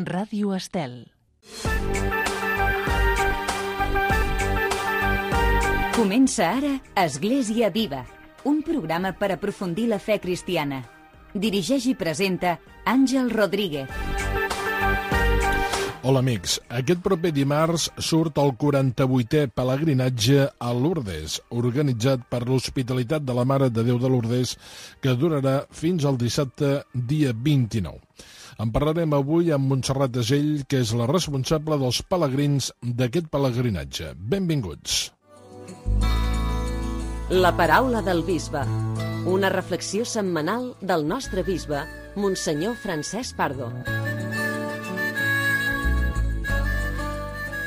Ràdio Estel. Comença ara Església Viva, un programa per aprofundir la fe cristiana. Dirigeix i presenta Àngel Rodríguez. Hola amics, aquest proper dimarts surt el 48è pelegrinatge a Lourdes, organitzat per l'Hospitalitat de la Mare de Déu de Lourdes, que durarà fins al dissabte, dia 29. En parlarem avui amb Montserrat Asell, que és la responsable dels pelegrins d'aquest pelegrinatge. Benvinguts. La paraula del bisbe, una reflexió setmanal del nostre bisbe, Monsenyor Francesc Pardo.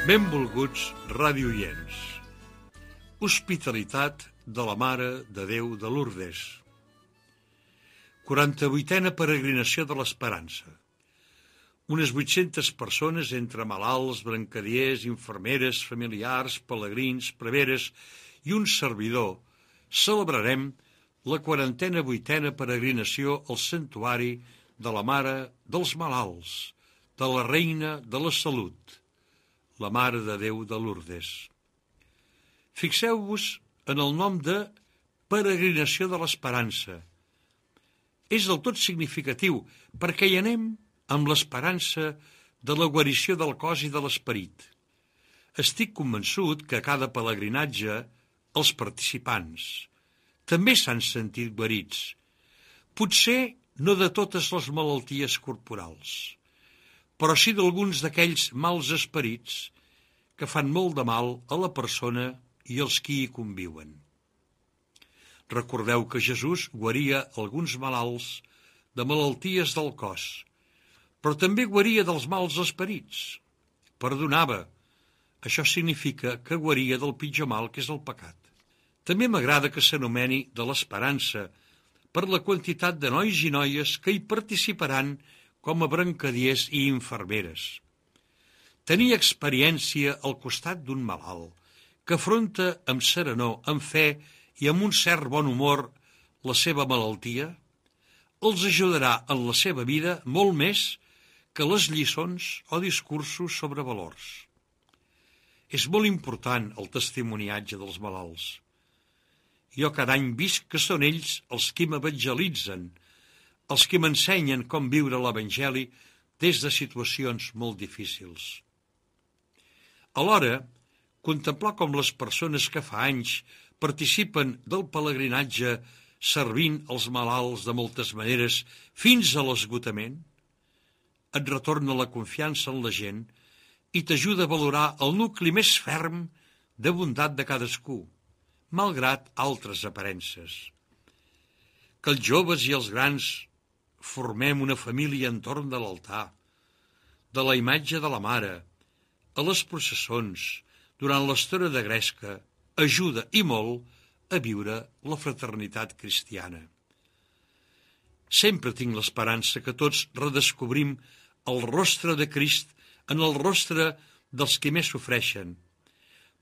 Benvolguts radioients. Hospitalitat de la Mare de Déu de Lourdes. 48a peregrinació de l'Esperança. Unes 800 persones entre malalts, brancadiers, infermeres, familiars, pelegrins, preveres i un servidor celebrarem la 48a peregrinació al santuari de la Mare dels Malalts, de la Reina de la Salut, la Mare de Déu de Lourdes. Fixeu-vos en el nom de peregrinació de l'Esperança. És del tot significatiu perquè hi anem amb l'esperança de la guarició del cos i de l'esperit. Estic convençut que a cada pelegrinatge els participants també s'han sentit guarits. Potser no de totes les malalties corporals, però sí d'alguns d'aquells mals esperits que fan molt de mal a la persona i als qui hi conviuen. Recordeu que Jesús guaria alguns malalts de malalties del cos, però també guaria dels mals esperits. Perdonava. Això significa que guaria del pitjor mal, que és el pecat. També m'agrada que s'anomeni de l'Esperança per la quantitat de nois i noies que hi participaran com a brancadiers i infermeres. Tenir experiència al costat d'un malalt que afronta amb serenor, amb fe i amb un cert bon humor la seva malaltia, els ajudarà en la seva vida molt més que les lliçons o discursos sobre valors. És molt important el testimoniatge dels malalts. Jo cada any visc que són ells els qui m'evangelitzen, els que m'ensenyen com viure l'Evangeli des de situacions molt difícils. Alhora, contemplar com les persones que fa anys participen del pelegrinatge servint els malalts de moltes maneres fins a l'esgotament, et retorna la confiança en la gent i t'ajuda a valorar el nucli més ferm de bondat de cadascú, malgrat altres aparences. Que els joves i els grans formem una família entorn de l'altar, de la imatge de la Mare, a les processons, durant l'estona de gresca, ajuda i molt a viure la fraternitat cristiana. Sempre tinc l'esperança que tots redescobrim el rostre de Crist en el rostre dels que més sofreixen,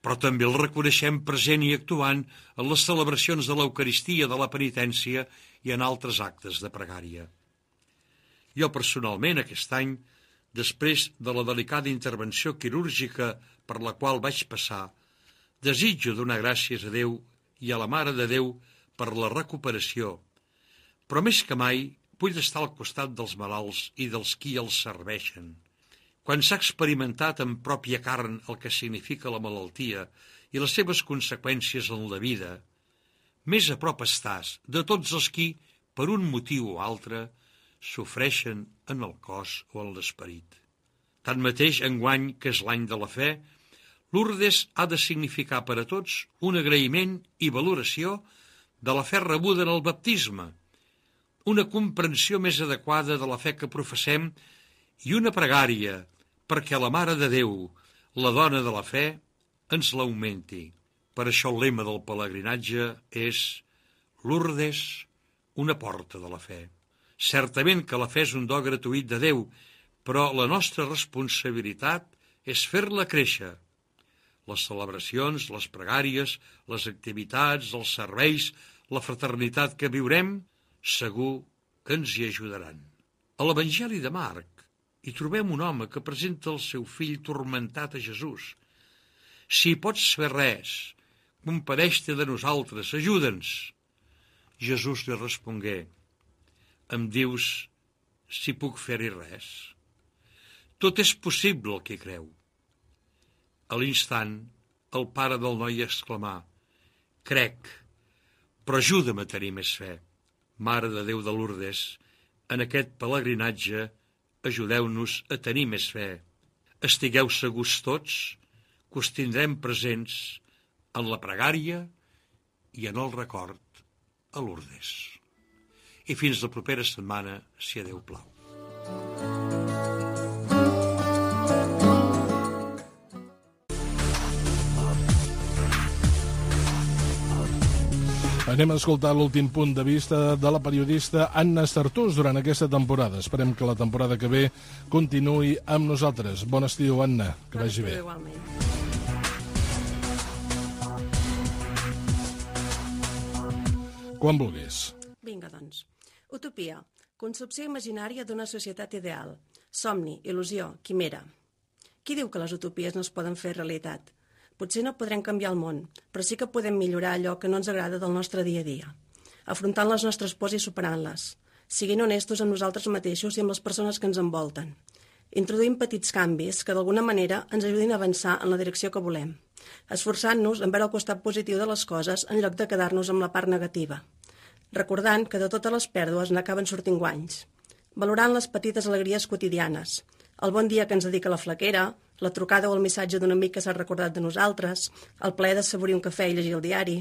però també el reconeixem present i actuant en les celebracions de l'Eucaristia, de la penitència i en altres actes de pregària. Jo personalment aquest any, després de la delicada intervenció quirúrgica per la qual vaig passar, desitjo donar gràcies a Déu i a la Mare de Déu per la recuperació, però més que mai vull estar al costat dels malalts i dels qui els serveixen. Quan s'ha experimentat en pròpia carn el que significa la malaltia i les seves conseqüències en la vida, més a prop estàs de tots els qui, per un motiu o altre, sofreixen en el cos o en l'esperit. Tanmateix, enguany, que és l'any de la fe, Lourdes ha de significar per a tots un agraïment i valoració de la fe rebuda en el baptisme, una comprensió més adequada de la fe que professem i una pregària perquè la Mare de Déu, la dona de la fe, ens l'augmenti. Per això el lema del pelegrinatge és Lourdes, una porta de la fe. Certament que la fe és un do gratuït de Déu, però la nostra responsabilitat és fer-la créixer. Les celebracions, les pregàries, les activitats, els serveis, la fraternitat que viurem, segur que ens hi ajudaran. A l'Evangeli de Marc i trobem un home que presenta el seu fill tormentat a Jesús. Si pots fer res, compadeix-te de nosaltres, ajuda'ns. Jesús li respongué, em dius si puc fer-hi res? Tot és possible el que creu. A l'instant, el pare del noi exclamà, crec, però ajuda'm a tenir més fe. Mare de Déu de Lourdes, en aquest pelegrinatge ajudeu-nos a tenir més fe. Estigueu segurs tots que us tindrem presents en la pregària i en el record a Lourdes. I fins la propera setmana, si a Déu plau. Anem a escoltar l'últim punt de vista de la periodista Anna Estartús durant aquesta temporada. Esperem que la temporada que ve continuï amb nosaltres. Bon estiu, Anna, que vagi bé. Igualment. Quan vulguis. Vinga, doncs. Utopia. Concepció imaginària d'una societat ideal. Somni, il·lusió, quimera. Qui diu que les utopies no es poden fer realitat? Potser no podrem canviar el món, però sí que podem millorar allò que no ens agrada del nostre dia a dia, afrontant les nostres pors i superant-les, siguent honestos amb nosaltres mateixos i amb les persones que ens envolten, introduint petits canvis que d'alguna manera ens ajudin a avançar en la direcció que volem, esforçant-nos en veure el costat positiu de les coses en lloc de quedar-nos amb la part negativa, recordant que de totes les pèrdues n'acaben sortint guanys, valorant les petites alegries quotidianes, el bon dia que ens dedica la flaquera, la trucada o el missatge d'un amic que s'ha recordat de nosaltres, el plaer d'assaborir un cafè i llegir el diari.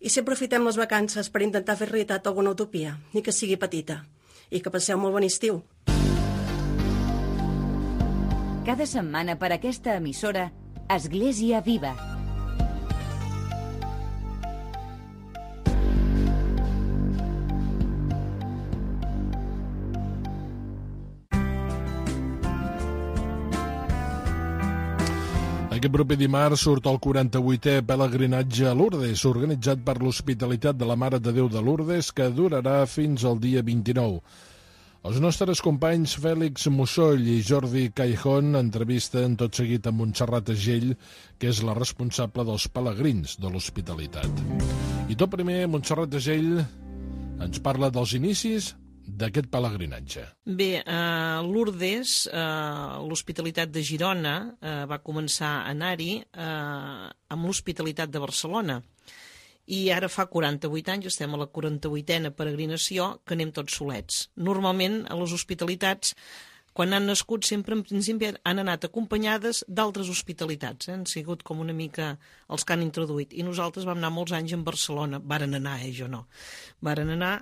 I si aprofitem les vacances per intentar fer realitat alguna utopia, ni que sigui petita. I que passeu molt bon estiu. Cada setmana per aquesta emissora, Església Viva. Aquest proper dimarts surt el 48è pelegrinatge a Lourdes, organitzat per l'Hospitalitat de la Mare de Déu de Lourdes, que durarà fins al dia 29. Els nostres companys Fèlix Mussoll i Jordi Caijón entrevisten tot seguit a Montserrat Agell, que és la responsable dels pelegrins de l'Hospitalitat. I tot primer, Montserrat Agell ens parla dels inicis d'aquest pelegrinatge. Bé, a Lourdes, l'Hospitalitat de Girona va començar a anar-hi amb l'Hospitalitat de Barcelona. I ara fa 48 anys, estem a la 48a peregrinació, que anem tots solets. Normalment, a les hospitalitats, quan han nascut, sempre en principi han anat acompanyades d'altres hospitalitats. Han sigut com una mica els que han introduït. I nosaltres vam anar molts anys en Barcelona. Varen anar, jo no. Varen anar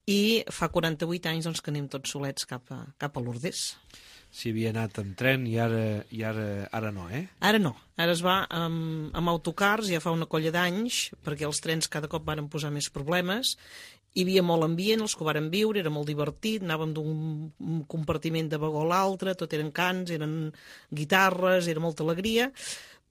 i fa 48 anys doncs, que anem tots solets cap a Lourdes. Si havia anat en tren i ara no, eh? Ara no. Ara es va amb autocars, ja fa una colla d'anys, perquè els trens cada cop van posar més problemes. Hi havia molt ambient, els que ho varen viure, era molt divertit, anàvem d'un compartiment de vagó a l'altre, tot eren cants, eren guitarres, era molta alegria.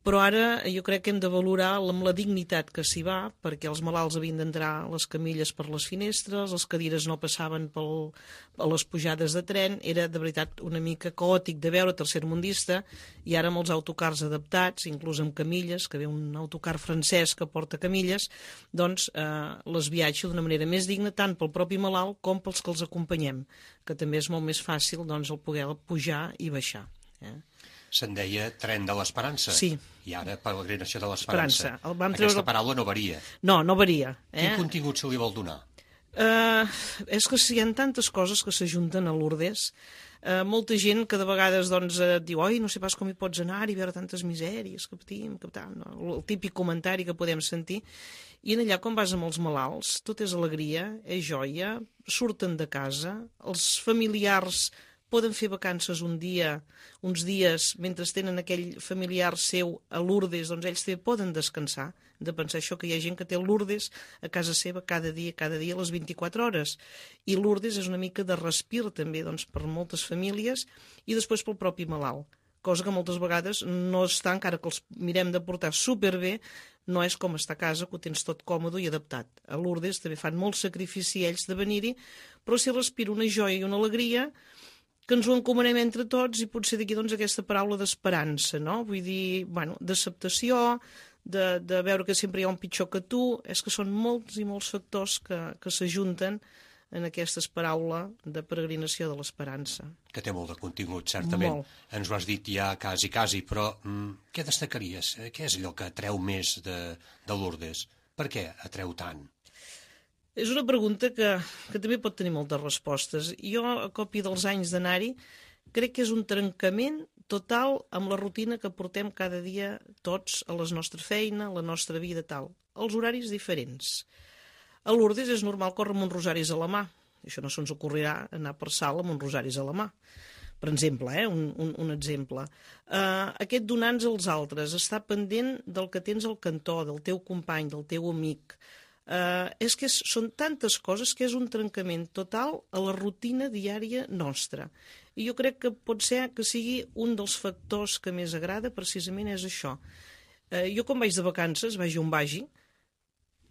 Però ara jo crec que hem de valorar amb la dignitat que s'hi va, perquè els malalts havien d'entrar a les camilles per les finestres, les cadires no passaven a les pujades de tren, era de veritat una mica caòtic de veure tercermundista, i ara amb els autocars adaptats, inclús amb camilles, que ve un autocar francès que porta camilles, doncs les viatjo d'una manera més digna, tant pel propi malalt com pels que els acompanyem, que també és molt més fàcil doncs, el poder pujar i baixar. Se'n deia tren de l'Esperança. Sí. I ara peregrinació de l'Esperança. Aquesta paraula no varia. No varia. Quin contingut se li vol donar? És que hi ha tantes coses que s'ajunten a Lourdes. Molta gent que de vegades doncs, diu oi, no sé pas com hi pots anar i veure tantes misèries que patim, no? El típic comentari que podem sentir. I en allà, quan vas amb els malalts, tot és alegria, és joia, surten de casa, els familiars poden fer vacances uns dies, mentre tenen aquell familiar seu a Lourdes, doncs ells també poden descansar, de pensar això, que hi ha gent que té Lourdes a casa seva cada dia a les 24 hores. I Lourdes és una mica de respir també doncs, per moltes famílies i després pel propi malalt, cosa que moltes vegades no està, encara que els mirem de portar superbé, no és com estar a casa, que ho tens tot còmode i adaptat. A Lourdes també fan molt sacrifici ells de venir-hi, però s'hi respira una joia i una alegria que ens ho encomanem entre tots i potser d'aquí doncs aquesta paraula d'esperança, no? Vull dir, bueno, d'acceptació, de veure que sempre hi ha un pitjor que tu, és que són molts i molts factors que s'ajunten en aquesta paraula de peregrinació de l'esperança. Que té molt de contingut, certament. Molt. Ens ho has dit ja quasi, però què destacaries? Què és allò que atreu més de Lourdes? Per què atreu tant? És una pregunta que també pot tenir moltes respostes. Jo, a còpia dels anys d'anar-hi, crec que és un trencament total amb la rutina que portem cada dia tots a la nostra feina, a la nostra vida, tal. Els horaris diferents. A Lourdes és normal córrer amb uns rosaris a la mà. Això no se'ns ocorrirà anar per sala amb uns rosaris a la mà. Per exemple, un exemple. Aquest donar-nos als altres, estar pendent del que tens al cantó, del teu company, del teu amic. És que són tantes coses que és un trencament total a la rutina diària nostra. I jo crec que pot ser que sigui un dels factors que més agrada, precisament és això. Jo quan vaig de vacances, vagi on vagi,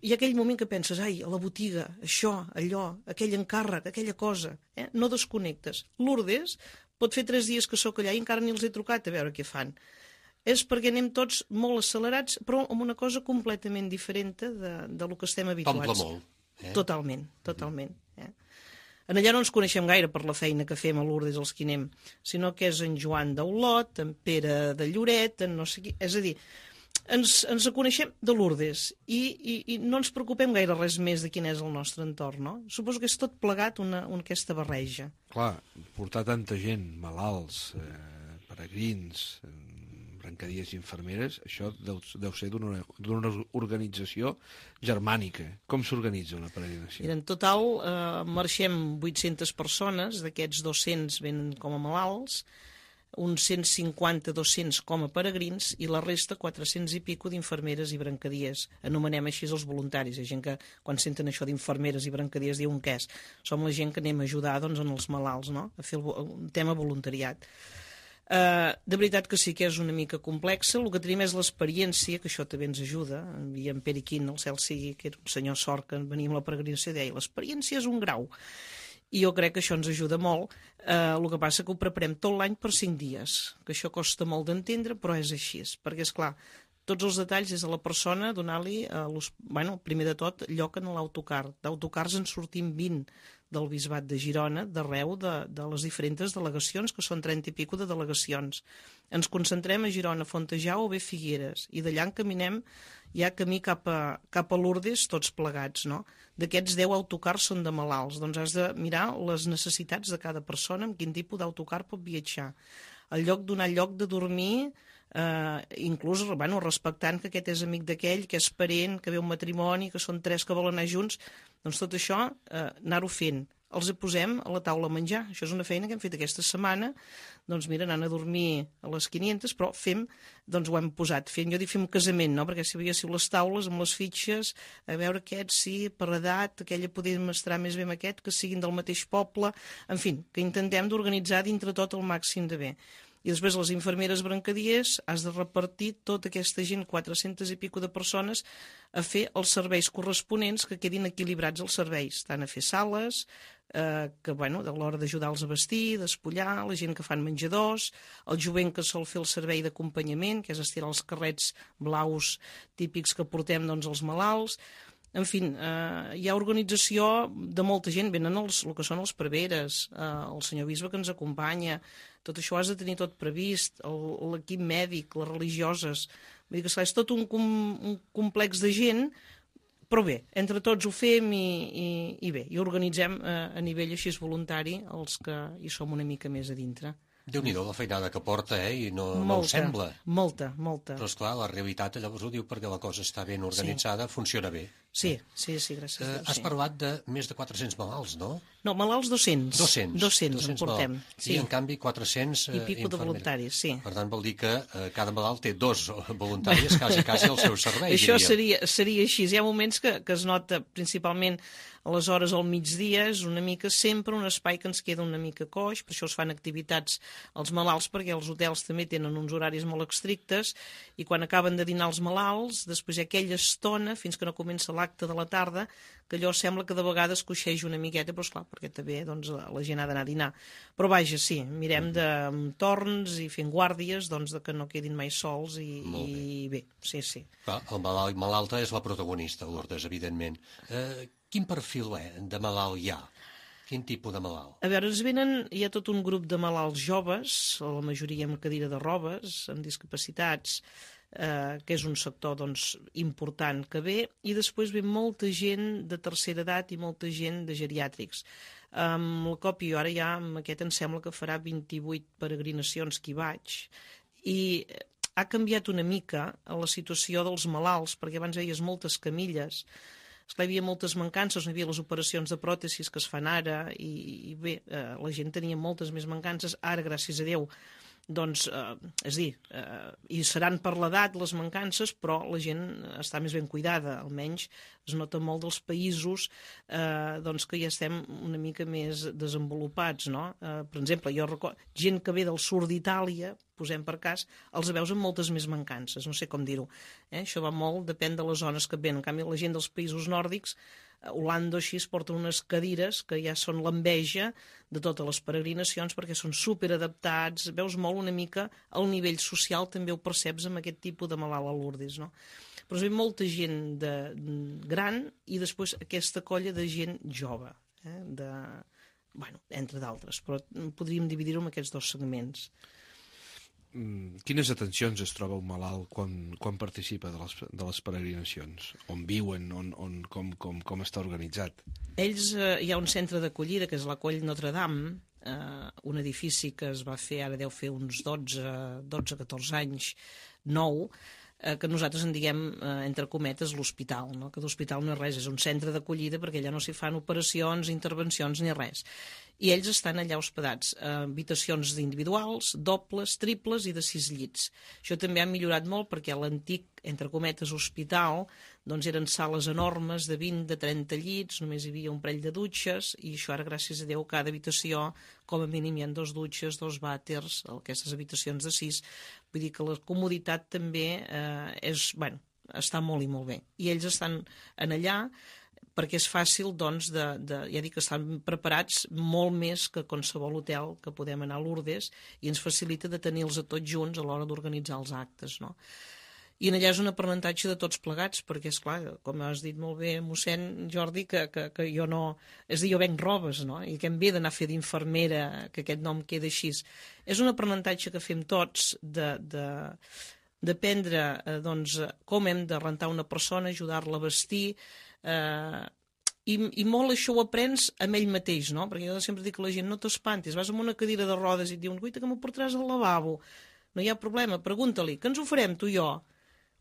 hi ha aquell moment que penses, ai, a la botiga, això, allò, aquell encàrrec, aquella cosa, no desconnectes. Lourdes pot fer 3 dies que sóc allà i encara ni els he trucat a veure què fan. És perquè anem tots molt accelerats, però amb una cosa completament diferent de lo que estem habituats. T'omple molt. Totalment, totalment. En allà no ens coneixem gaire per la feina que fem a Lourdes els que anem, sinó que és en Joan d'Olot, en Pere de Lloret, en no sé qui... És a dir, ens coneixem de Lourdes i no ens preocupem gaire res més de quin és el nostre entorn, no? Suposo que és tot plegat aquesta barreja. Clar, portar tanta gent, malalts, peregrins, brancadies i infermeres, això deu ser d'una organització germànica. Com s'organitza una peregrinació? Mira, en total marxem 800 persones, d'aquests 200 venen com a malalts, uns 150-200 com a peregrins i la resta 400 i pico d'infermeres i brancadies. Anomenem així els voluntaris. Hi ha gent que quan senten això d'infermeres i brancadies diuen què és. Som la gent que anem a ajudar doncs, en els malalts, no? A fer un tema voluntariat. De veritat que sí que és una mica complexa. El que tenim és l'experiència, que això també ens ajuda. I en Pere Quint, el cel sigui, que era un senyor sort que venia amb la peregrinació i deia l'experiència és un grau. I jo crec que això ens ajuda molt. El que passa que ho preparem tot l'any per 5 dies, que això costa molt d'entendre, però és així. Perquè, esclar, tots els detalls és a la persona donar-li, primer de tot, lloc en l'autocar. D'autocars en sortim 20 del Bisbat de Girona, d'arreu de les diferents delegacions, que són 30 i pico de delegacions. Ens concentrem a Girona, Fontejau o bé Figueres, i d'allà encaminem ja camí cap a Lourdes, tots plegats, no? D'aquests 10 autocars són de malalts, doncs has de mirar les necessitats de cada persona, amb quin tipus d'autocar pot viatjar. El lloc donar lloc de dormir, inclús respectant que aquest és amic d'aquell, que és parent, que ve un matrimoni, que són 3 que volen anar junts, doncs tot això anar-ho fent. Els posem a la taula a menjar. Això és una feina que hem fet aquesta setmana. Doncs mira, anant a dormir a les 500, però doncs ho hem posat. Jo dic fem un casament, no? Perquè si veiéssiu les taules amb les fitxes, a veure aquest sí, per edat, aquella podem estar més bé amb aquest, que siguin del mateix poble, en fi, que intentem d'organitzar dintre tot el màxim de bé. I després les infermeres brancadiers has de repartir tota aquesta gent, 400 i pico de persones, a fer els serveis corresponents que quedin equilibrats els serveis, tant a fer sales, que de l'hora d'ajudar-los a vestir, despullar, la gent que fan menjadors, el jovent que sol fer el servei d'acompanyament, que és estirar els carrets blaus típics que portem doncs, els malalts. En fi, hi ha organització de molta gent, venen el que són els preveres, el senyor bisbe que ens acompanya, tot això has de tenir tot previst, l'equip mèdic, les religioses, vull dir que és tot un complex de gent, però bé, entre tots ho fem i bé, i organitzem a nivell així voluntari els que hi som una mica més a dintre. Déu-n'hi-do la feinada que porta, i no ho sembla. Molta. Però, esclar, la realitat llavors ho diu perquè la cosa està ben organitzada, funciona bé. Sí, gràcies a Déu. Has parlat de més de 400 malalts, no? No, malalts 200. 200 en portem. I, en canvi, 400 i pico de voluntaris, sí. Per tant, vol dir que cada malalt té 2 voluntaris quasi al seu servei. Això seria així. Hi ha moments que es nota principalment a les hores al migdia, és una mica sempre un espai que ens queda una mica coix, per això es fan activitats als malalts, perquè els hotels també tenen uns horaris molt estrictes, i quan acaben de dinar els malalts, després hi ha aquella estona, fins que no comença l'acte, l'acte de la tarda, que allò sembla que de vegades coixeja una miqueta, però esclar, perquè també doncs, la gent ha d'anar a dinar. Però vaja, sí, mirem de torns i fent guàrdies doncs, de que no quedin mai sols i bé, sí. Clar, el malalt i malalta és la protagonista, Lourdes, evidentment. Quin perfil de malalt hi ha? Quin tipus de malalt? A veure, hi ha tot un grup de malalts joves, la majoria amb cadira de rodes, amb discapacitats, que és un sector doncs, important que ve, i després ve molta gent de tercera edat i molta gent de geriàtrics. Amb el COP jo ara ja, amb aquest em sembla que farà 28 peregrinacions que hi vaig, i ha canviat una mica la situació dels malalts, perquè abans veies moltes camilles, hi havia moltes mancances, no hi havia les operacions de pròtesis que es fan ara, i bé, la gent tenia moltes més mancances, ara, gràcies a Déu, doncs, és a dir, i seran per l'edat les mancances, però la gent està més ben cuidada, almenys es nota molt dels països doncs que ja estem una mica més desenvolupats, no? Per exemple, jo recordo gent que ve del sud d'Itàlia, posem per cas, els veus amb moltes més mancances, no sé com dir-ho. Això va molt, depèn de les zones que ven. En canvi, la gent dels països nòrdics, Holanda així, es porten unes cadires que ja són l'enveja de totes les peregrinacions perquè són superadaptats, veus molt una mica el nivell social, també ho perceps amb aquest tipus de malalt a Lourdes, no? Però es ve molta gent gran i després aquesta colla de gent jove, entre d'altres, però podríem dividir-ho en aquests dos segments. Quines atencions es troba un malalt quan participa de les peregrinacions? On viuen? Com està organitzat? Ells, hi ha un centre d'acollida, que és la Coll Notre Dame, un edifici que es va fer, ara deu fer uns 12-14 anys, nou, que nosaltres en diguem, entre cometes, l'hospital, no? Que l'hospital no és res, és un centre d'acollida perquè allà no s'hi fan operacions, intervencions ni res. I ells estan allà hospedats, habitacions individuals, dobles, triples i de 6 llits. Això també ha millorat molt perquè l'antic, entre cometes, hospital, doncs eren sales enormes de 20, de 30 llits, només hi havia un parell de dutxes, i això ara, gràcies a Déu, cada habitació, com a mínim hi ha 2 dutxes, 2 vàters, aquestes habitacions de 6. Vull dir que la comoditat també està molt i molt bé. I ells estan allà perquè és fàcil, doncs, ja dic que estan preparats molt més que qualsevol hotel que podem anar a Lourdes i ens facilita de tenir-los a tots junts a l'hora d'organitzar els actes, no? I allà és un aprenentatge de tots plegats, perquè, esclar, com has dit molt bé, mossèn Jordi, que jo no... És a dir, jo venc robes, no? I que em ve d'anar a fer d'infermera, que aquest nom queda així. És un aprenentatge que fem tots d'aprendre, doncs, com hem de rentar una persona, ajudar-la a vestir, i molt això ho aprens amb ell mateix, no? Perquè jo sempre dic a la gent, no t'espantis, vas amb una cadira de rodes i et diuen, guaita, que m'ho portaràs al lavabo. No hi ha problema, pregunta-li, què ens ho farem, tu i jo?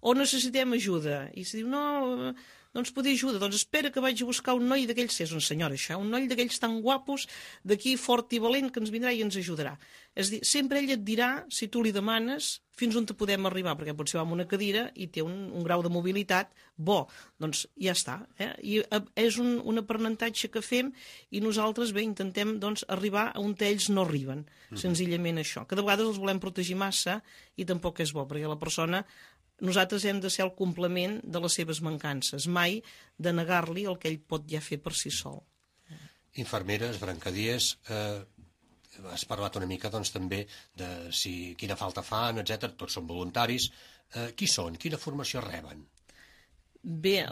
O necessitem ajuda? I si diu, no, no ens pot dir ajuda, doncs espera que vaig a buscar un noi d'aquells, és un senyor això, un noi d'aquells tan guapos, d'aquí fort i valent, que ens vindrà i ens ajudarà. És a dir, sempre ell et dirà, si tu li demanes, fins on te podem arribar, perquè potser va amb una cadira i té un grau de mobilitat bo, doncs ja està. I és un aprenentatge que fem i nosaltres bé intentem doncs, arribar a on ells no arriben, senzillament això, que de vegades els volem protegir massa i tampoc és bo, perquè la persona, nosaltres hem de ser el complement de les seves mancances, mai de negar-li el que ell pot ja fer per si sol. Infermeres, brancadiers, has parlat una mica doncs, també de quina falta fan, etc. Tots són voluntaris. Qui són? Quina formació reben? Bé,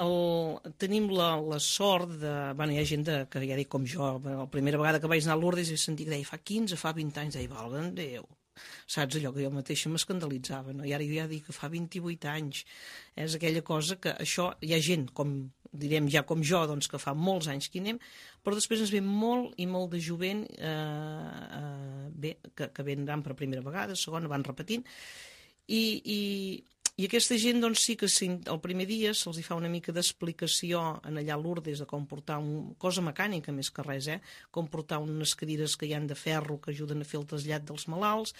tenim la sort de... Bueno, hi ha gent que ja dic com jo, la primera vegada que vaig anar a Lourdes he sentit que deia fa 15, fa 20 anys, deia, valga'm Déu. Saps allò que jo mateixa m'escandalitzava, no? I ara jo ja dic que fa 28 anys. És aquella cosa que això, hi ha gent, com direm ja com jo, doncs que fa molts anys que hi anem, però després ens ve molt i molt de jovent que venen per primera vegada, segona, van repetint, i aquesta gent doncs, sí que el primer dia se'ls fa una mica d'explicació allà a Lourdes de com portar una cosa mecànica més que res, com portar unes cadires que hi han de ferro que ajuden a fer el trasllat dels malalts,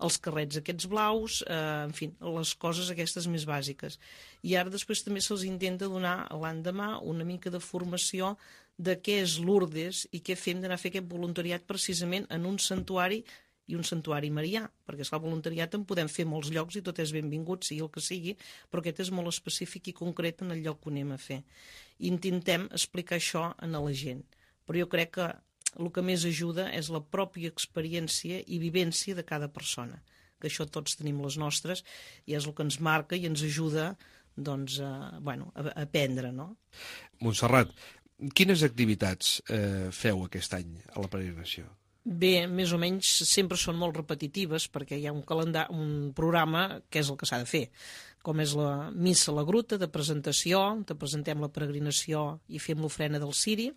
els carrets aquests blaus, en fi, les coses aquestes més bàsiques. I ara després també se'ls intenta donar l'endemà una mica de formació de què és Lourdes i què fem d'anar a fer aquest voluntariat precisament en un santuari i un santuari marià, perquè esclar, voluntariat en podem fer molts llocs i tot és benvingut, sigui el que sigui, però aquest és molt específic i concret en el lloc que ho anem a fer. I intentem explicar això a la gent. Però jo crec que el que més ajuda és la pròpia experiència i vivència de cada persona, que això tots tenim les nostres i és el que ens marca i ens ajuda doncs, a aprendre, no? Montserrat, quines activitats feu aquest any a la peregrinació? Bé, més o menys sempre són molt repetitives perquè hi ha un programa que és el que s'ha de fer, com és la missa a la gruta de presentació, te presentem la peregrinació i fem l'ofrena del ciri.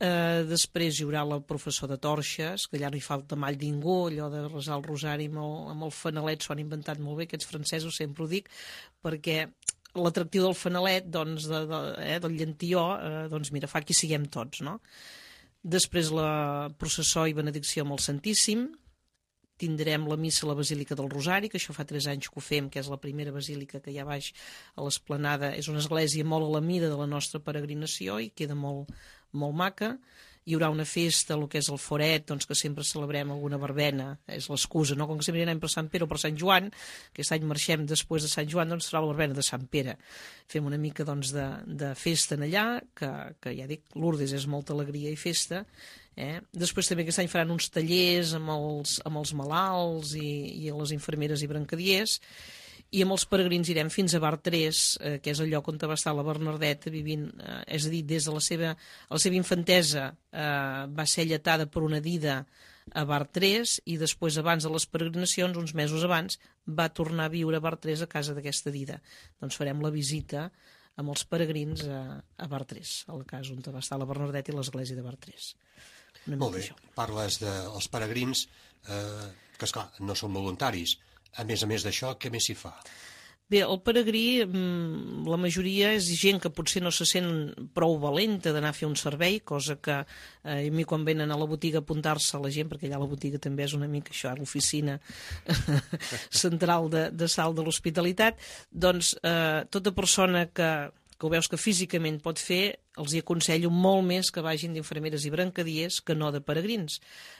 Després hi haurà la professó de torxes, que allà no hi falta mai ningú, allò de resar el rosari amb el fanalet s'ho han inventat molt bé, aquests francesos, sempre ho dic, perquè l'atractiu del fanalet, doncs, del llantilló, doncs mira, fa que hi siguem tots, no? Després la processó i benedicció amb el Santíssim, tindrem la missa a la Basílica del Rosari, que això fa 3 anys que ho fem, que és la primera basílica que hi ha baix a l'Esplanada, és una església molt a la mida de la nostra peregrinació i queda molt, molt maca. Hi haurà una festa, el que és el foret, doncs, que sempre celebrem alguna verbena, és l'excusa, no? Com que sempre anem per Sant Pere o per Sant Joan, aquest any marxem després de Sant Joan, doncs serà la verbena de Sant Pere. Fem una mica doncs, de festa en allà, que ja dic, Lourdes és molta alegria i festa. Després també aquest any faran uns tallers amb els malalts i les infermeres i brancadiers, i amb els peregrins irem fins a Bar 3, que és el lloc on va estar la Bernadeta vivint, és a dir, des de la seva infantesa va ser alletada per una dida a Bar 3 i després, abans de les peregrinacions, uns mesos abans, va tornar a viure a Bar 3 a casa d'aquesta dida. Doncs farem la visita amb els peregrins a Bar 3, a la casa on va estar la Bernadeta i l'església de Bar 3. Molt bé, parles dels peregrins, que esclar, no són voluntaris. A més d'això, què més s'hi fa? Bé, el peregrí, la majoria és gent que potser no se sent prou valenta d'anar a fer un servei, cosa que a mi quan venen a la botiga a apuntar-se a la gent, perquè allà la botiga també és una mica això, l'oficina central de salt de l'hospitalitat, doncs tota persona que ho veus que físicament pot fer, els hi aconsello molt més que vagin d'infermeres i brancadiers que no de peregrins.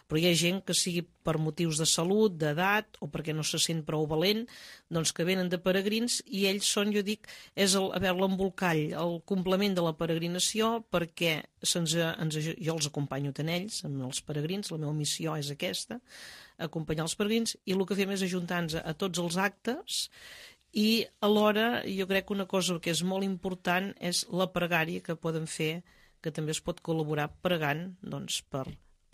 Però hi ha gent que sigui per motius de salut, d'edat, o perquè no se sent prou valent, doncs que venen de peregrins i ells són, jo dic, és l'embolcall, el complement de la peregrinació, perquè jo els acompanyo tant ells, amb els peregrins, la meva missió és aquesta, acompanyar els peregrins, i el que fem és ajuntar-nos a tots els actes. I alhora jo crec que una cosa que és molt important és la pregària que poden fer, que també es pot col·laborar pregant doncs, per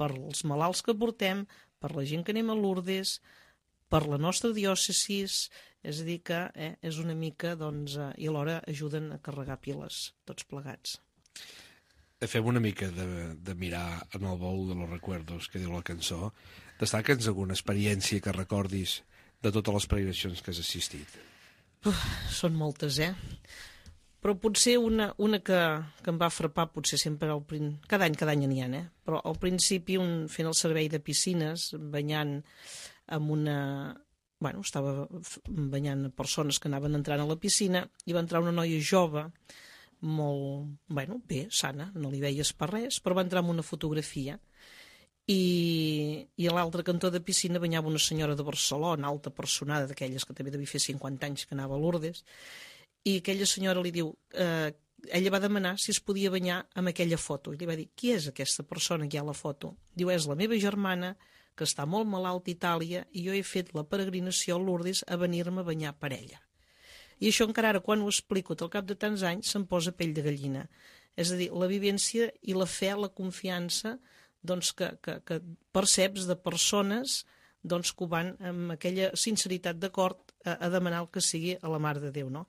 els malalts que portem, per la gent que anem a Lourdes, per la nostra diòcesi, és a dir que és una mica, doncs, i alhora ajuden a carregar piles, tots plegats. Fem una mica de mirar en el bou de los recuerdos, que diu la cançó. Destaca'ns alguna experiència que recordis de totes les peregrinacions que has assistit? Són moltes, però potser una que em va frapar, potser sempre cada any n'hi ha, però al principi fent el servei de piscines, banyant amb estava banyant persones que anaven entrant a la piscina i va entrar una noia jove, molt, bé, sana, no li veies per res, però va entrar amb una fotografia i a l'altre cantó de piscina banyava una senyora de Barcelona, alta personada, d'aquelles que també devia fer 50 anys que anava a Lourdes, i aquella senyora li diu, ella va demanar si es podia banyar amb aquella foto, i li va dir, qui és aquesta persona que hi ha a la foto? Diu, és la meva germana, que està molt malalt a Itàlia, i jo he fet la peregrinació a Lourdes a venir-me a banyar per ella. I això encara ara, quan ho explico, al cap de tants anys, se'm posa pell de gallina. És a dir, la vivència i la fe, la confiança, doncs, que perceps de persones doncs, que ho van amb aquella sinceritat d'acord a demanar el que sigui a la Mare de Déu, no?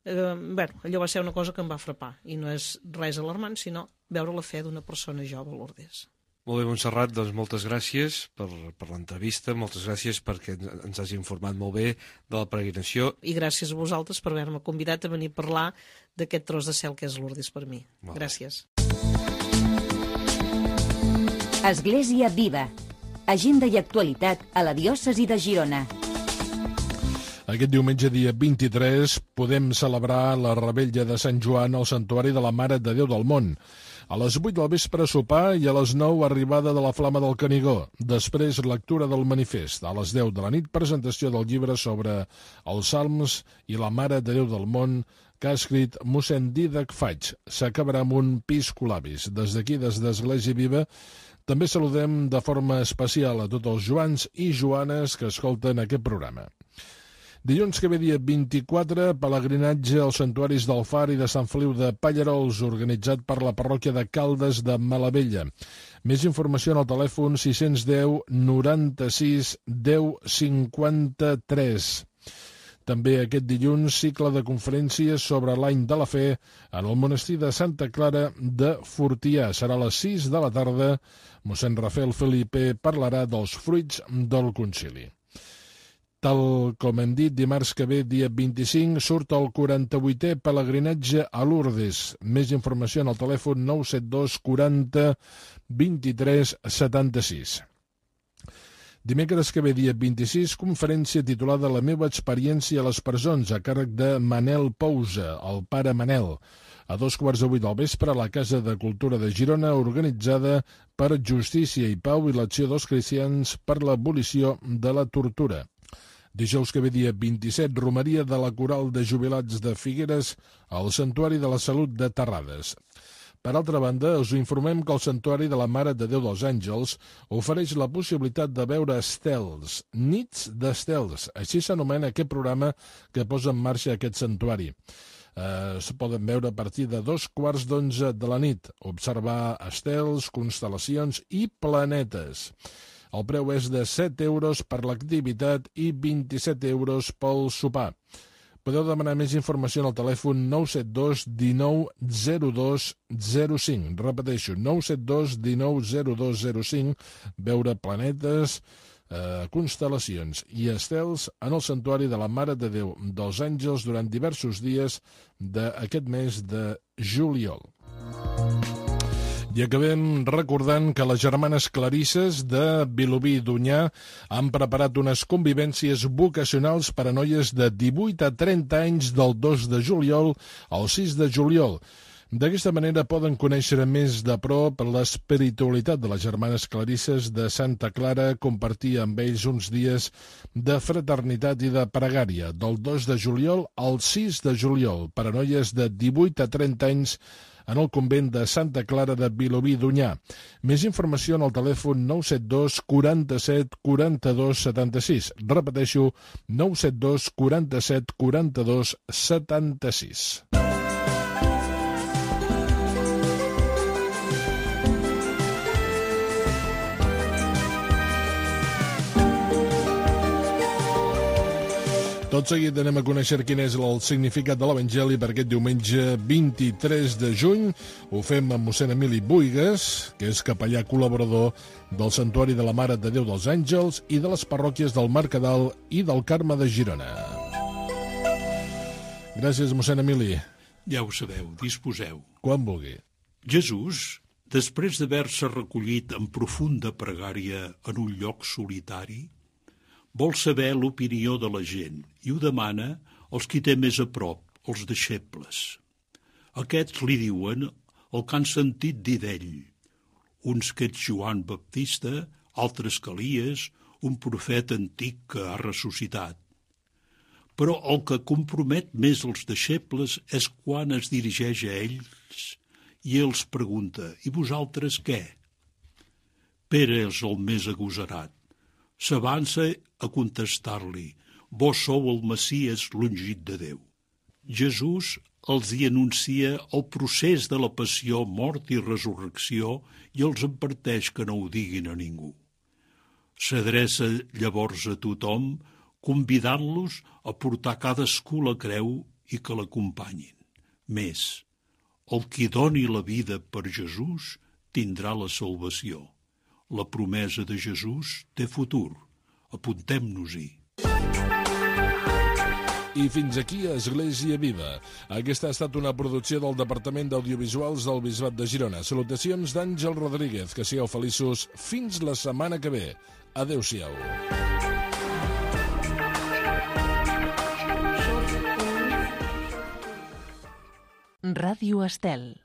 Allò va ser una cosa que em va frapar, i no és res alarmant, sinó veure la fe d'una persona jove a Lourdes. Molt bé, Montserrat, doncs moltes gràcies per l'entrevista, moltes gràcies perquè ens has informat molt bé de la peregrinació. I gràcies a vosaltres per haver-me convidat a venir a parlar d'aquest tros de cel que és Lourdes per mi. Gràcies. Església Viva. Agenda i actualitat a la diòcesi de Girona. Aquest diumenge, dia 23, podem celebrar la revetlla de Sant Joan al Santuari de la Mare de Déu del Món. A les 8 del vespre sopar i a les 9 arribada de la Flama del Canigó. Després lectura del manifest. A les 10 de la nit presentació del llibre sobre els Salms i la Mare de Déu del Món que ha escrit mossèn Dídac Faig. S'acabarà amb un piscolabis. Des d'aquí, des d'Església Viva, també saludem de forma especial a tots els Joans i Joanes que escolten aquest programa. Dilluns que ve dia 24, pelegrinatge als santuaris del Far i de Sant Feliu de Pallarols, organitzat per la parròquia de Caldes de Malavella. Més informació en el telèfon 610 96 10 53. També aquest dilluns, cicle de conferències sobre l'any de la fe en el monestir de Santa Clara de Fortià. Serà a les 6 de la tarda. Mossèn Rafael Felipe parlarà dels fruits del concili. Tal com hem dit, dimarts que ve, dia 25, surt el 48è pelegrinatge a Lourdes. Més informació en el telèfon 972 40 23 76. Dimecres que ve, dia 26, conferència titulada La meva experiència a les presons, a càrrec de Manel Pousa, el pare Manel, a 7:15 del vespre a la Casa de Cultura de Girona, organitzada per Justícia i Pau i l'Acció dels Cristians per l'abolició de la tortura. Dijous que ve, dia 27, romeria de la Coral de Jubilats de Figueres al Santuari de la Salut de Terrades. Per altra banda, us informem que el Santuari de la Mare de Déu dels Àngels ofereix la possibilitat de veure estels, nits d'estels. Així s'anomena aquest programa que posa en marxa aquest santuari. Es poden veure a partir de 11:15 de la nit, observar estels, constel·lacions i planetes. El preu és de 7 euros per l'activitat i 27 euros pel sopar. Podeu demanar més informació en el telèfon 972 19 02 05. Repeteixo, 972 19 02 05. Veure planetes, constel·lacions i estels en el Santuari de la Mare de Déu dels Àngels durant diversos dies d'aquest mes de juliol. I acabem recordant que les germanes Clarisses de Vilobí d'Onyar han preparat unes convivències vocacionals per a noies de 18 a 30 anys del 2 de juliol al 6 de juliol. D'aquesta manera poden conèixer més de prop l'espiritualitat de les germanes Clarisses de Santa Clara, compartir amb ells uns dies de fraternitat i de pregària, del 2 de juliol al 6 de juliol, per a noies de 18 a 30 anys en el convent de Santa Clara de Vilobí d'Onyar. Més informació en el telèfon 972 47 42 76. Repeteixo, 972 47 42 76. Tot seguit anem a conèixer quin és el significat de l'Evangeli per aquest diumenge 23 de juny. Ho fem amb mossèn Emili Buigas, que és capellà col·laborador del Santuari de la Mare de Déu dels Àngels i de les parròquies del Mercadal i del Carme de Girona. Gràcies, mossèn Emili. Ja ho sabeu, disposeu. Quan vulgui. Jesús, després d'haver-se recollit en profunda pregària en un lloc solitari, vol saber l'opinió de la gent i ho demana als qui té més a prop, els deixebles. Aquests li diuen el que han sentit dir d'ell. Uns que ets Joan Baptista, altres que Elies, un profeta antic que ha ressuscitat. Però el que compromet més els deixebles és quan es dirigeix a ells i els pregunta: i vosaltres què? Pere és el més agosarat. S'avança a contestar-li: vós sou el Messies l'ungit de Déu. Jesús els hi anuncia el procés de la passió, mort i resurrecció i els adverteix que no ho diguin a ningú. S'adreça llavors a tothom, convidant-los a portar cadascú la creu i que l'acompanyin. Més, el qui doni la vida per Jesús tindrà la salvació. La promesa de Jesús té futur. Apuntem-nos-hi. I fins aquí Església Viva. Aquesta ha estat una producció del Departament d'Audiovisuals del Bisbat de Girona. Salutacions d'Àngel Rodríguez. Que sigueu feliços fins la setmana que ve. Adéu-siau. Ràdio Estel.